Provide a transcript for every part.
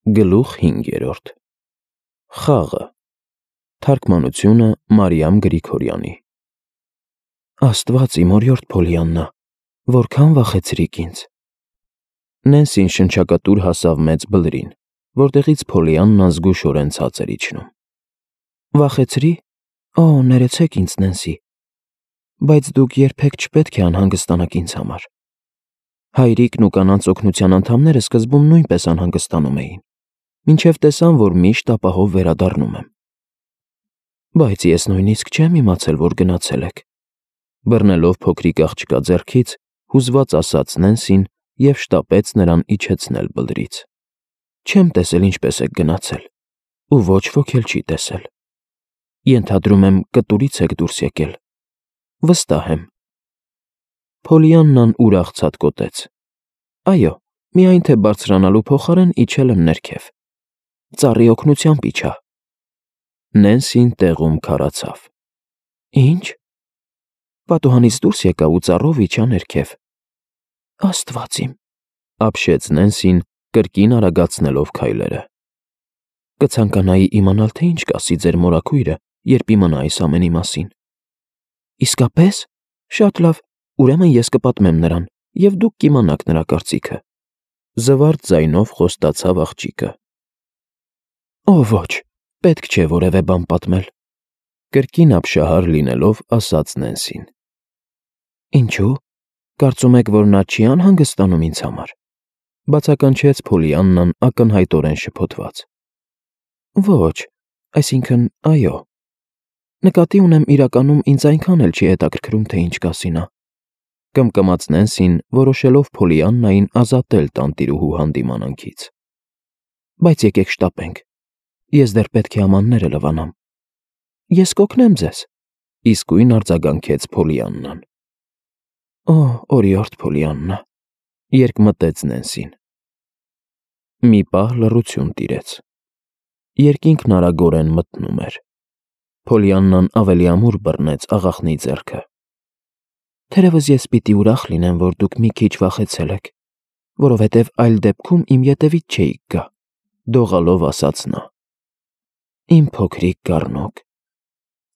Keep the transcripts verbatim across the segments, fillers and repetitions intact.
Գլուխ հինգերորդ Խաղը Թարգմանությունը Մարիամ Գրիգորյանի Աստված իմ օրիորդ Փոլիաննա, որքան վախեցրիք ինձ։ Նենսին շնչակտուր հասավ մեծ բլրին, որտեղից Փոլիաննան զգուշորեն ցած էր իջնում։ Վախեցրի՞։ Օ, ներեցեք ինձ, Նենսի, բայց դուք երբեք չպետք է անհանգստանաք ինձ համար։ Հայրիկն ու կանանց օգնության անդամները սկզբում նույնպես անհանգստանում էին, մինչև տեսան, որ միշտ ապահով վերադառնում եմ։ Բայց ես նույնիսկ չեմ իմացել, որ գնացել եք, բռնելով փոքրիկ աղջկա ձեռքից, հուզված ասաց Նենսին և շտապեց նրան իջեցնել բլրից։ Չեմ տեսել ինչպես եք գնացել, ու ոչ ոք էլ չի տեսել։ Ենթադրում եմ կտուրից եք դուրս եկել։ Վստահ եմ։ Փոլիաննան ուրախ ցատկոտեց։ Այո, միայն թե բարձրանալու փոխարեն իջել եմ ներքև։ Ծառի օգնությամբ իջա։ Նենսին տեղում քարացավ։ Ինչ։ Պատուհանից դուրս եկա ու ծառով իջա ներքև։ Աստված իմ, ապշեց Նենսին, կրկին արագացնելով քայլերը։ Կցանկանայի իմանալ, թե ինչ կասի ձեր մորաքույրը, երբ իմանա այս ամենի մասին։ Իսկապես։ Շատ լավ, ուրեմն ես կպատմեմ նրան, և դուք կիմանաք նրա կարծիքը։ Զվարթ ձայնով խոստացավ աղջիկը։ Օ, ոչ, պետք չէ որևէ բան պատմել, կրկին ապշահար լինելով ասաց Նենսին։ Ինչու՞։ Կարծում եք, որ նա չի անհանգստանում ինձ համար, բացականչեց Փոլիաննան ակնհայտորեն շփոթված։ Ոչ, այսինքն, այո։ Նկատի ունեմ, իրականում ինձ այնքան էլ չի հետաքրքրում, թե ինչ կասի նա, կմկմաց Նենսին, որոշելով Փոլիաննային ազատել տանտիրուհու հանդիմանանքից։ Բայց եկեք շտապենք, ես դեռ պետք է ամանները լվանամ։ Ես կօգնեմ ձեզ, իսկույն արձագանքեց Փոլիաննան։ Օ, օրիորդ Փոլիաննա, երկմտեց Նենսին։ Մի պահ լռություն տիրեց։ Երկինքն արագորեն մթնում էր։ Փոլիաննան ավելի ամուր բռնեց աղախնի ձեռքը։ Թերևս ես պիտի ուրախ լինեմ, որ դուք մի քիչ վախեցել եք, որովհետև այլ դեպքում իմ ետևից չէիք գա, դողալով ասաց նա։ Իմ փոքրիկ գառնոկ,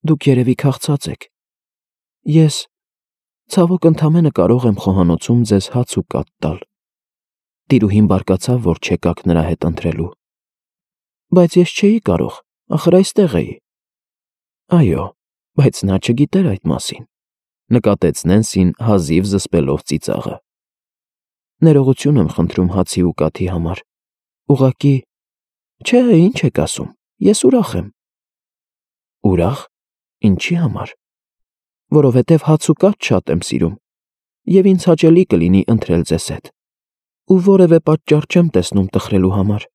դուք երևի քաղցած եք։ Ես, ցավոք, ընդամենը կարող եմ խոհանոցում ձեզ հաց ու կաթ տալ։ Տիրուհին բարկացավ, որ չեկաք նրա հետ ընթրելու։ Բայց ես չէի կարող, ախր այստեղ էի։ Այո, բայց նա չգիտեր այդ մասին, նկատեց Նենսին հազիվ զսպելով ծիծաղը։ Ներողություն եմ խնդրում հացի ու կաթի համար։ Ուղղակի, չէ, ինչ եք ասում, ես ուրախ եմ։ Ուրախ։ Ինչի համար։ Որովհետև հաց ու կաթ շատ եմ սիրում, և ինձ հաճելի կլինի ընթրել ձեզ հետ, ու որևէ պատճառ չեմ տեսնում տխրելու համար։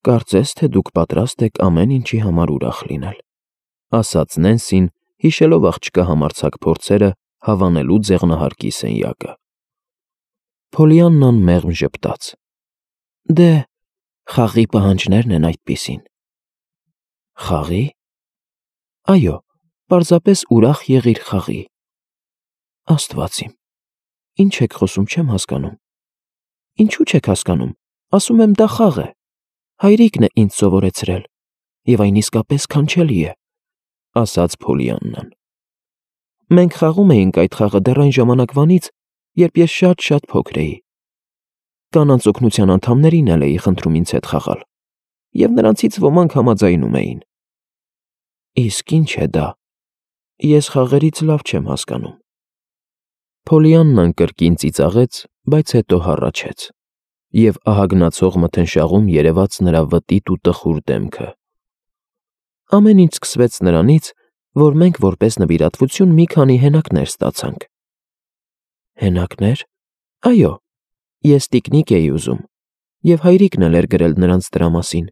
Կարծես թե դուք պատրաստ եք ամեն ինչի համար ուրախ լինել, ասաց Նենսին, հիշելով աղջկա համարձակ փորձերը հավանելու ձեղնահարկի սենյակը։ Փոլիաննան մեղմ ժպտաց։ Դե, խաղի պահանջներն են այդպիսին։ Խաղի։ Այո, պարզապես ուրախ եղիր խաղի։ Աստված իմ, ինչ եք խոսում, չեմ հասկանում։ Ինչու չեք հասկանում, ասում եմ, դա խաղ է։ Հայրիկն է ինձ սովորեցրել, և այն իսկապես քանչելի է, ասաց Փոլիաննան։ Մենք խաղում էինք այդ խաղը դեռ այն ժամանակվանից, երբ ես շատ-շատ փոքր էի։ Կանանց օգնության անդամներին էլ էի խնդրում ինձ հետ խաղալ, և նրանցից ոմանք համաձայնում էին։ Իսկ ինչ է դա։ Ես խաղերից լավ չեմ հասկանում։ Փոլիաննան կրկին ծիծաղեց, բայց հետո հառաչեց, և ահագնացող մթնշաղում երևաց նրա վտիտ ու տխուր դեմքը։ Ամեն ինչ սկսվեց նրանից, որ մենք որպես նվիրատվություն մի քանի հենակներ ստացանք։ Հենակնե՞ր։ Այո, ես տիկնիկ էի ուզում, և հայրիկն էլ էր գրել նրանց դրա մասին։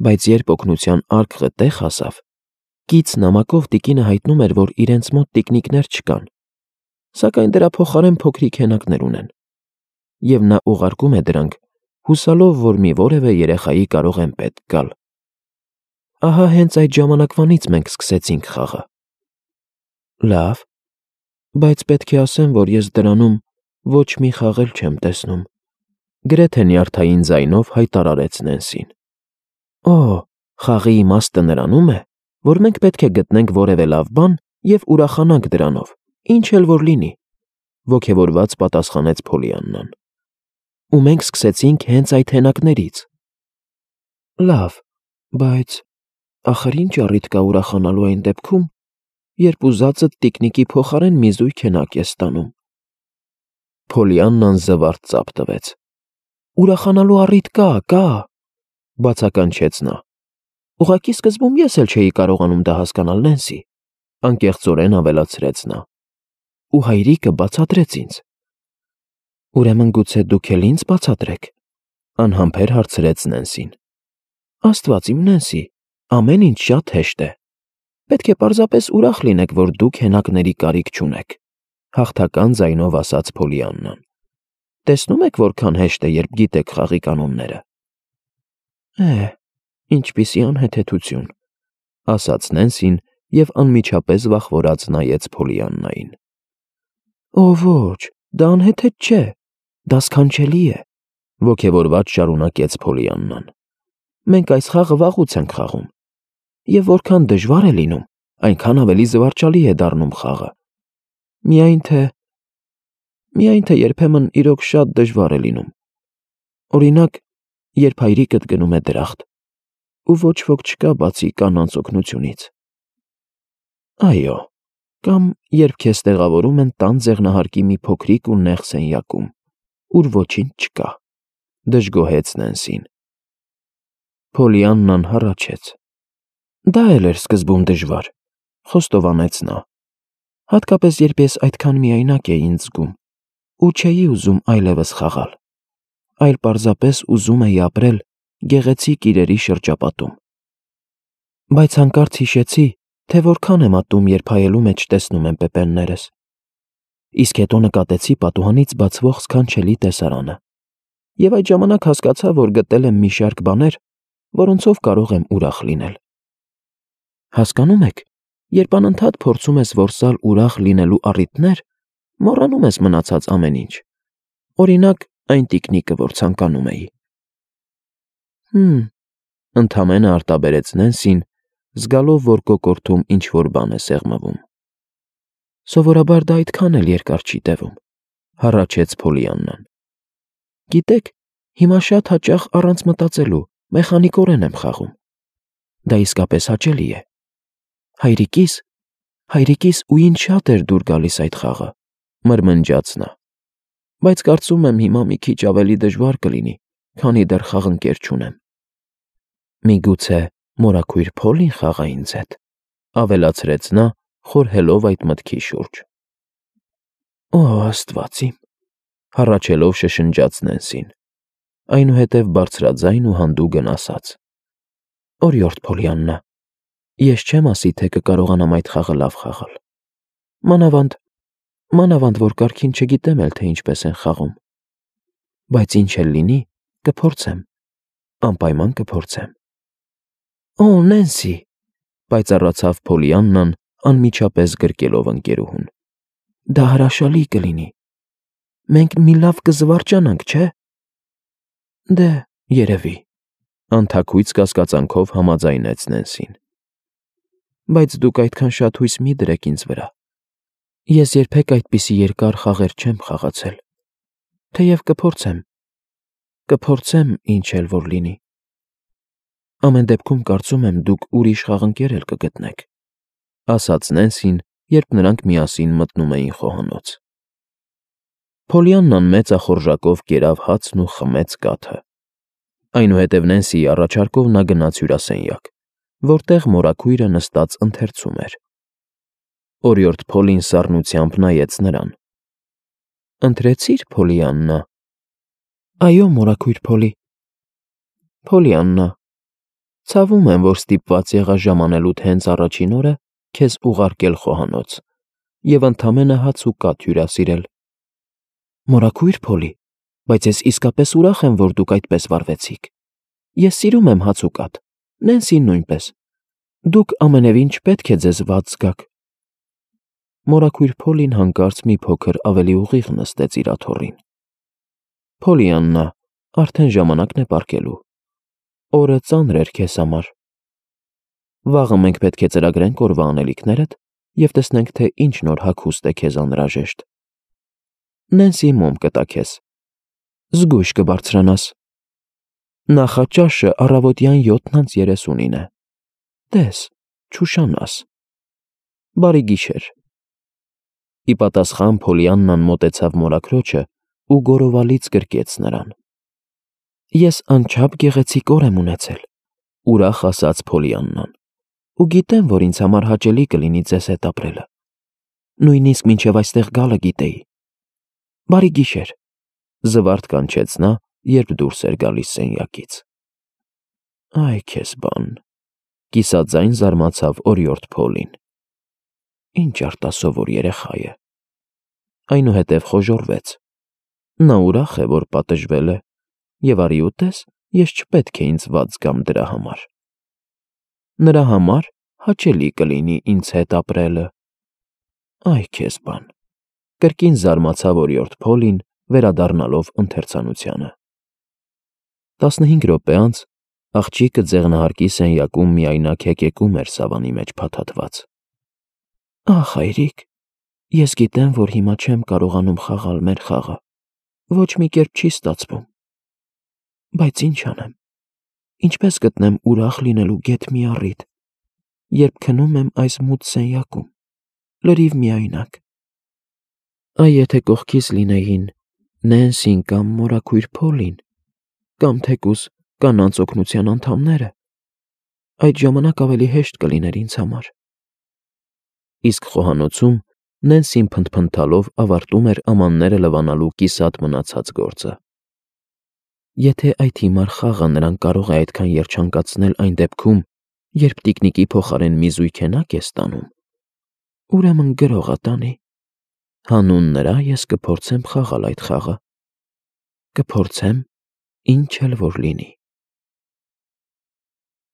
Բայց երբ օգնության արկղը տեղ հասավ, կից նամակով տիկինը հայտնում էր, որ իրենց մոտ տիկնիկներ չկան, սակայն դրա փոխարեն փոքրիկ հենակներ ունեն, և նա ուղարկում է դրանք, հուսալով, որ մի որևէ երեխայի կարող են պետք գալ։ Ահա հենց այդ ժամանակվանից մենք սկսեցինք խաղը։ Լավ, բայց պետք է ասեմ, որ ես դրանում ոչ մի խաղ էլ չեմ տեսնում, Գրեթե նյարդային ձայնով հայտարարեց Նենսին։ Օ, խաղի իմաստը նրանում է, որ մենք պետք է գտնենք որևէ լավ բան և ուրախանանք դրանով, ինչ էլ որ լինի, ոգևորված պատասխանեց Փոլիաննան։ Ու մենք սկսեցինք հենց այդ հենակներից։ Լավ, բայց ախր ինչ առիթ կա ուրախանալու այն դեպքում, երբ ուզածդ տիկնիկի փոխարեն մի զույգ հենակ ես ստանում։ Փոլիաննան զվարթ ծափ տվեց։ Ուրախանալու առիթ կա, կա, բացականչեց նա։ Ուղղակի սկզբում ես էլ չէի կարողանում դա հասկանալ, Նենսի, անկեղծորեն ավելացրեց նա։ Ու հայրիկը բացատրեց ինձ։ Ուրեմն գուցե դուք էլ ինձ բացատրեք, անհամբեր հարցրեց Նենսին։ Աստված իմ, Նենսի, ամեն ինչ շատ հեշտ է։ Պետք է պարզապես ուրախ լինեք, որ դուք հենակների կարիք չունեք, հաղթական ձայնով ասաց Փոլիաննան։ Տեսնում եք որքան հեշտ է, երբ գիտեք խաղի կանոնները։ Է, ինչպիսի անհեթեթություն, ասաց Նենսին և անմիջապես վախվորած նայեց Փոլիաննային։ Օ ոչ, դա անհեթեթ չէ, դա սքանչելի է, ոգևորված շարունակեց Փոլիաննան։ Մենք այս խաղը վաղուց ենք խաղում, և որքան դժվար է լինում, այնքան ավելի զվարճալի է դառնում խաղը։ Միայն թե… Միայն թե երբեմն իրոք շատ դժվար է լինում։ Օրինակ, երբ հայրիկդ գնում է դրախտ, ու ոչ ոք չկա բացի կանանց օգնությունից։ Այո, կամ երբ քեզ տեղավորում են տան ձեղնահարկի մի փոքրիկ ու նեղ սենյակում, ուր ոչինչ չկա, դժգոհեց Նենսին։ Փոլիաննան հառաչեց։ Դա էլ էր սկզբում դժվար, խոստովանեց նա, հատկապես երբ ես այդքան միայնակ էի ինձ զգում ու չէի ուզում այլևս խաղալ, այլ պարզապես ուզում էի ապրել գեղեցիկ իրերի շրջապատում։ Բայց հանկարծ հիշեցի, թե որքան եմ ատում, երբ հայելու մեջ տեսնում եմ պեպեններս։ Իսկ հետո նկատեցի պատուհանից բացվող սքանչելի տեսարանը, և այդ ժամանակ հասկացա, որ գտել եմ մի շարք բաներ, որոնցով կարող եմ ուրախ լինել։ Հասկանում եք, երբ անընդհատ փորձում ես որսալ ուրախ լինելու առիթներ, մոռանում ես մնացած ամեն ինչ։ Օրինակ, այն տիկնիկը, որ ցանկանում էի։ Հմ, ընդամենը արտաբերեց Նենսին, զգալով, որ կոկորդում ինչ-որ բան է սեղմվում։ Սովորաբար դա այդքան էլ երկար չի տևում, հառաչեց Փոլիաննան։ Գիտեք, հիմա շատ հաճախ առանց մտածելու, մեխանիկորեն եմ խաղում։ Դա իսկապես հաճելի է։ Հայրիկիս, հայրիկիս ու ինձ շատ էր դուր գալիս այդ խաղը, մրմնջաց նա։ Բայց կարծում եմ հիմա մի քիչ ավելի դժվար կլինի, քանի դեռ խաղընկեր չունեմ։ Միգուցե մորաքույր Փոլին խաղա ինձ հետ, ավելացրեց նա, խորհելով այդ մտքի շուրջ։ Օ, Աստված իմ, հառաչելով շշնջաց Նենսին, այնուհետև բարձրաձայն ու հանդուգն ասաց. Օրիորդ Փոլիաննա, ես չեմ ասի, թե կկարողանամ այդ խաղը լավ խաղալ։ Մանավանդ, մանավանդ, որ կարգին չգիտեմ էլ, թե ինչպես են խաղում։ Բայց ինչ էլ լինի, կփորձեմ, անպայման կփորձեմ։ Օ, Նենսի, պայծառացավ Փոլիաննան, անմիջապես գրկելով ընկերուհուն։ Դա հրաշալի կլինի։ Մենք մի լավ կզվարճանանք, չէ՞։ Դե, երևի, անթաքույց կասկածանքով համաձայնեց Նենսին։ Բայց դուք այդքան շատ հույս մի դրեք ինձ վրա։ Ես երբեք այդպիսի երկար խաղեր չեմ խաղացել, թեև կփորձեմ, կփորձեմ ինչ էլ որ լինի։ Ամեն դեպքում կարծում եմ դուք ուրիշ խաղընկեր էլ կգտնեք, ասաց Նենսին, երբ նրանք միասին մտնում էին խոհանոց։ Փոլիաննան մեծախորժակով կերավ հացն ու խմեց կաթը։ Այնուհետև Նենսիի առաջարկով նա գնաց հյուրասենյակ, որտեղ մորաքույրը նստած ընթերցում էր։ Օրիորդ Փոլին սառնությամբ նայեց նրան։ Ընթրեցի՞ր, Փոլիաննա։ Այո, մորաքույր Փոլի։ Փոլիաննա, ցավում եմ, որ ստիպված եղա ժամանելուդ հենց առաջին օրը քեզ ուղարկել խոհանոց և ընդամենը հաց ու կաթ հյուրասիրել։ Մորաքույր Փոլի, բայց ես իսկապես ուրախ եմ, որ դուք այդպես վարվեցիք։ Ես սիրում եմ հաց ու կաթ, Նենսին նույնպես։ Դուք ամենևին չպետք է ձեզ վատ զգաք։ Մորաքույր Փոլին հանկարծ մի փոքր ավելի ուղիղ նստեց իր աթոռին։ Փոլիաննա, Արդեն ժամանակն է պառկելու։ Օրը ծանր էր քեզ համար։ Վաղը մենք պետք է ծրագրենք օրվա անելիքներդ և տեսնենք, թե ինչ նոր հագուստ է քեզ անհրաժեշտ։ Նենսի մոմ կտա քեզ։ Զգույշ կբարձրանաս։ Նախաճաշը առավոտյան յոթն անց երեսունին է։ Տես, չուշանաս։ Բարի գիշեր։ Ի պատասխան Փոլիաննան մոտեցավ մորաքրոջը ու գոռովալից գրկեց նրան։ Ես անչափ գեղեցիկ օր եմ ունեցել, ուրախ ասաց Փոլիաննան, ու գիտեմ, որ ինձ համար հաճելի կլինի ձեզ հետ ապրելը։ Նույնիսկ մինչև այստեղ գալը գիտեի։ Բարի գիշեր, զվարթ կանչեց նա, երբ դուրս էր գալիս սենյակից։ Այ քեզ բան, կիսաձայն զարմացավ օրիորդ Փոլին։ Ինչ արտասովոր երեխա է։ Այնուհետև խոժոռվեց։ Նա ուրախ է, որ պատժվել է, և արի ուտես, ես չպետք է ինձ վատ զգամ դրա համար։ Նրա համար հաճելի կլինի ինձ հետ ապրելը։ Այ քեզ բան, կրկին զարմացավ օրիորդ Փոլին, վերադառնալով ընթերցանությանը։ Տասնհինգ րոպե անց աղջիկը ձեղնահարկի սենյակում միայնակ հեկեկում էր սավանի մեջ փաթաթված։ Ախ, հայրիկ, ես գիտեմ, որ հիմա չեմ կարողանում խաղալ մեր խաղը, ոչ մի կերպ չի ստացվում։ Բայց ինչ անեմ, ինչպես գտնեմ ուրախ լինելու գեթ մի առիթ, երբ քնում եմ այս մութ սենյակում, լրիվ միայնակ։ Այ եթե կողքիս լինեին Նենսին կամ մորաքույր Փոլին, կամ թեկուզ կանանց օգնության անդամները, այդ ժամանակ ավելի հեշտ կլիներ ինձ համար։ Իսկ խոհանոցում Նենսին փնթփնթալով ավարտում էր ամանները լվանալու կիսատ մնացած գործը։ Եթե այդ հիմար խաղը նրան կարող է այդքան երջանկացնել այն դեպքում, երբ տիկնիկի փոխարեն մի զույգենակ է ստանում, ուրեմն գրողը տանի։ Հանուն նրա ես կփորձեմ խաղալ այդ խաղը։ Կփորձեմ, ինչ էլ որ լինի։